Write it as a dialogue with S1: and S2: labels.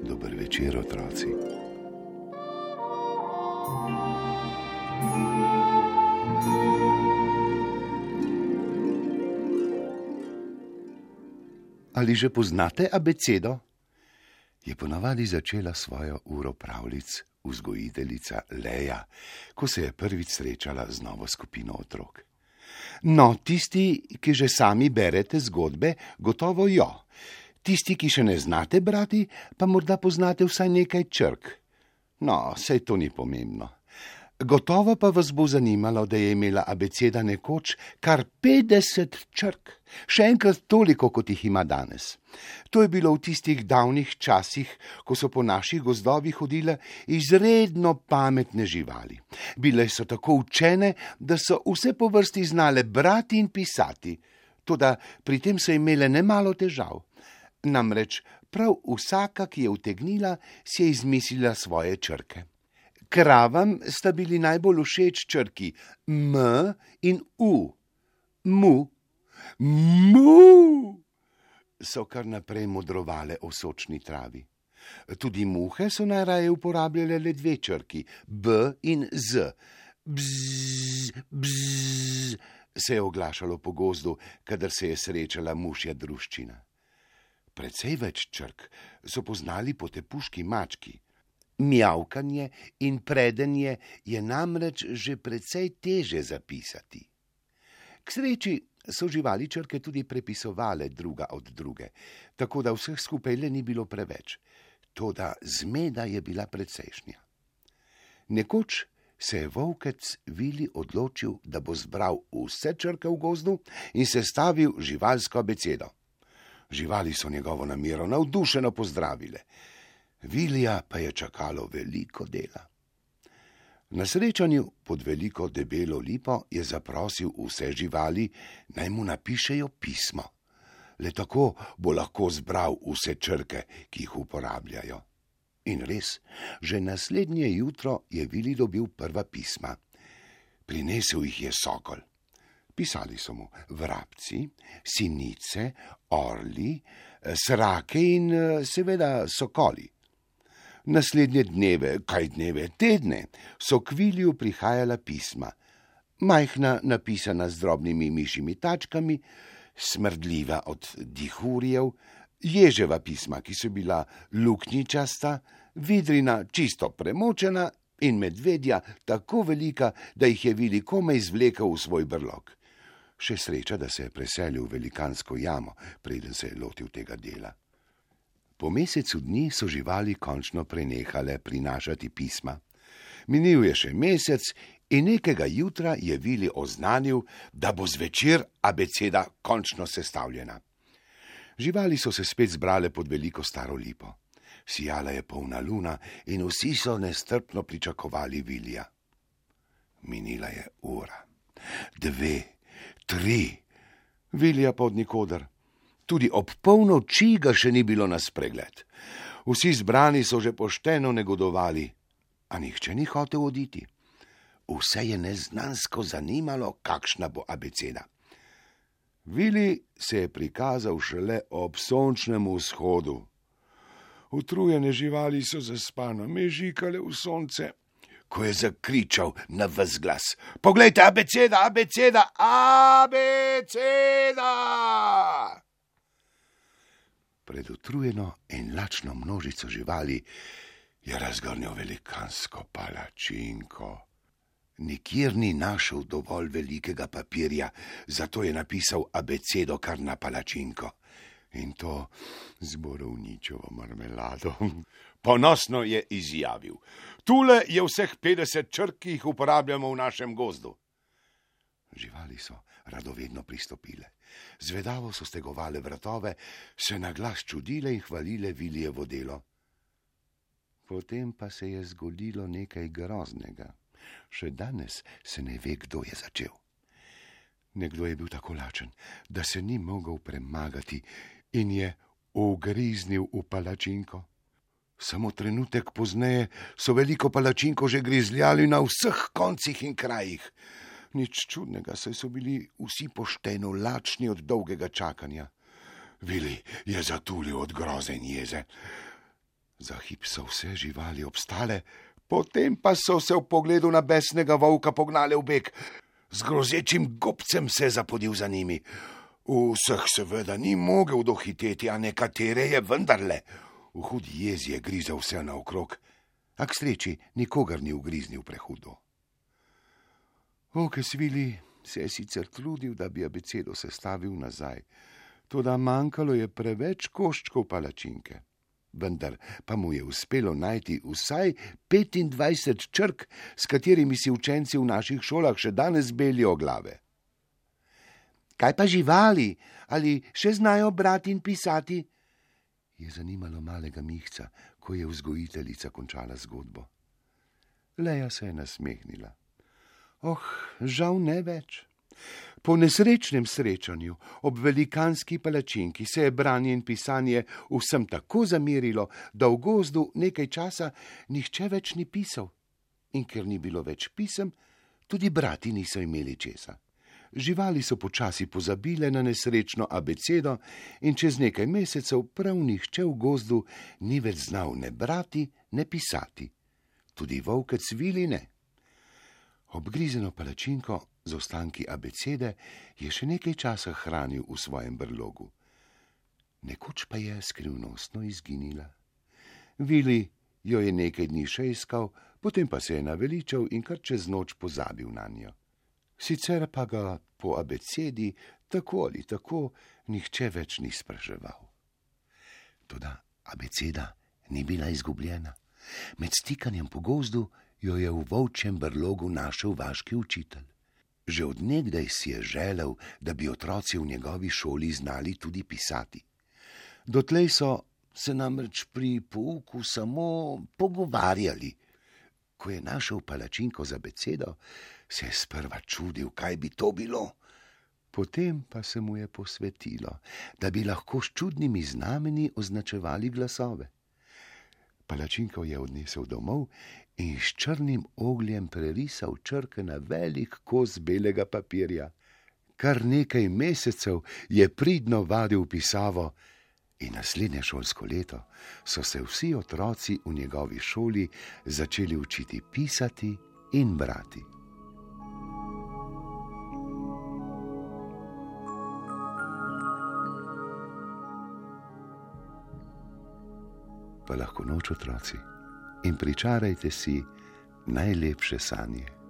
S1: Dober večer, otroci. Ali že poznate abecedo? Je ponavadi začela svojo uro pravljic vzgojiteljica Leja, ko se je prvič srečala z novo skupino otrok. No, tisti, ki že sami berete zgodbe, gotovo jo. Tisti, ki še ne znate brati, pa morda poznate vsaj nekaj črk. No, saj to ni pomembno. Gotovo pa vas bo zanimalo, da je imela abeceda nekoč kar 50 črk, še enkrat toliko, kot jih ima danes. To je bilo v tistih davnih časih, ko so po naših gozdovih hodile izredno pametne živali. Bile so tako učene, da so vse po vrsti znale brati in pisati, toda pri tem so imele nemalo težav. Namreč prav vsaka, ki je utegnila, si je izmislila svoje črke. Kravam sta bili najbolj všeč črki M in U. Mu, mu, so kar naprej modrovale o sočni travi. Tudi muhe so najraje uporabljale le dve črki, B in Z. Bzz, bzz, se je oglašalo po gozdu, kadar se je srečala mušja druščina. Precej več črk so poznali potepuški mački. Mijavkanje in predenje je namreč že precej teže zapisati. K sreči so živali črke tudi prepisovale druga od druge, tako da vseh skupaj le ni bilo preveč. Toda zmeda je bila precejšnja. Nekoč se je volkec Vili odločil, da bo zbral vse črke v gozdu in sestavil živalsko abecedo. Živali so njegovo namero navdušeno pozdravile. Vilija pa je čakalo veliko dela. Na srečanju pod veliko debelo lipo je zaprosil vse živali, naj mu napišejo pismo. Le tako bo lahko zbral vse črke, ki jih uporabljajo. In res, že naslednje jutro je Vili dobil prva pisma. Prinesel jih je sokol. Pisali so mu vrabci, sinice, orli, srake in seveda sokoli. Naslednje dneve, tedne, so k Viliju prihajala pisma. Majhna, napisana z drobnimi mišjimi tačkami, smrdljiva od dihurjev, ježeva pisma, ki so bila luknjičasta, vidrina čisto premočena in medvedja tako velika, da jih je Vili komaj izvlekel v svoj brlog. Še sreča, da se je preselil v velikansko jamo, preden se je lotil tega dela. Po mesecu dni so živali končno prenehale prinašati pisma. Minil je še mesec in nekega jutra je Vili oznanil, da bo zvečer abeceda končno sestavljena. Živali so se spet zbrale pod veliko staro lipo. Sijala je polna luna in vsi so nestrpno pričakovali Vilija. Minila je ura, 2, 3, Vilija pa od nikoder. Tudi ob polnoči ga še ni bilo na spregled. Vsi zbrani so že pošteno negodovali, a nihče ni hotel oditi. Vse je neznansko zanimalo, kakšna bo abeceda. Vili se je prikazal šele ob sončnem vzhodu. Utrujene živali so zaspano mežikale v sonce, ko je zakričal na ves glas: "Poglejte, abeceda, abeceda, abeceda!" Pred utrujeno in lačno množico živali je razgrnil velikansko palačinko. Nikjer ni našel dovolj velikega papirja, zato je napisal abecedo kar na palačinko. In to z borovničevo marmelado. Ponosno je izjavil: "Tule je vseh 50 črk, ki jih uporabljamo v našem gozdu." Živali so radovedno pristopile. Zvedavo so stegovale vratove, se na glas čudile in hvalile Vilijevo delo. Potem pa se je zgodilo nekaj groznega. Še danes se ne ve, kdo je začel. Nekdo je bil tako lačen, da se ni mogel premagati in je ugriznil v palačinko. Samo trenutek pozneje so veliko palačinko že grizljali na vseh koncih in krajih. Nič čudnega, saj so bili vsi pošteno lačni od dolgega čakanja. Vili je zatulil od groze in jeze. Za hip so vse živali obstale, potem pa so se v pogledu na besnega volka pognale v beg. Z grozečim gobcem se je zapodil za njimi. Vseh seveda ni mogel dohiteti, a nekatere je vendarle. V hudi jezi je grizel vse naokrog, a k sreči nikogar ni ugriznil prehudo. Volkes Vili se je sicer trudil, da bi abecedo sestavil nazaj, toda manjkalo je preveč koščkov palačinke. Vendar pa mu je uspelo najti vsaj 25 črk, s katerimi si učenci v naših šolah še danes belijo glave. Kaj pa živali? Ali še znajo brati in pisati? Je zanimalo malega Mihca, ko je vzgojiteljica končala zgodbo. Leja se je nasmehnila. Žal ne več. Po nesrečnem srečanju ob velikanski palačinki se je branje in pisanje vsem tako zamerilo, da v gozdu nekaj časa nihče več ni pisal. In ker ni bilo več pisem, tudi brati niso imeli česa. Živali so počasi pozabile na nesrečno abecedo in čez nekaj mesecev prav nihče v gozdu ni več znal ne brati, ne pisati. Tudi volkec Vili ne. Obgrizeno palačinko z ostanki abecede je še nekaj časa hranil v svojem brlogu. Nekoč pa je skrivnostno izginila. Vili jo je nekaj dni še iskal, potem pa se je naveličal in kar čez noč pozabil nanjo. Sicer pa ga po abecedi tako ali tako nihče več ni spraševal. Toda abeceda ni bila izgubljena. Med stikanjem po gozdu jo je v volčjem brlogu našel vaški učitelj. Že od nekdaj si je želel, da bi otroci v njegovi šoli znali tudi pisati. Dotlej so se namreč pri pouku samo pogovarjali. Ko je našel palačinko z abecedo, se je sprva čudil, kaj bi to bilo. Potem pa se mu je posvetilo, da bi lahko s čudnimi znamenji označevali glasove. Palačinko je odnesel domov in s črnim ogljem prerisal črke na velik kos belega papirja. Kar nekaj mesecev je pridno vadil pisavo in naslednje šolsko leto so se vsi otroci v njegovi šoli začeli učiti pisati in brati. Pa lahko noč, otroci, in pričarajte si najlepše sanje.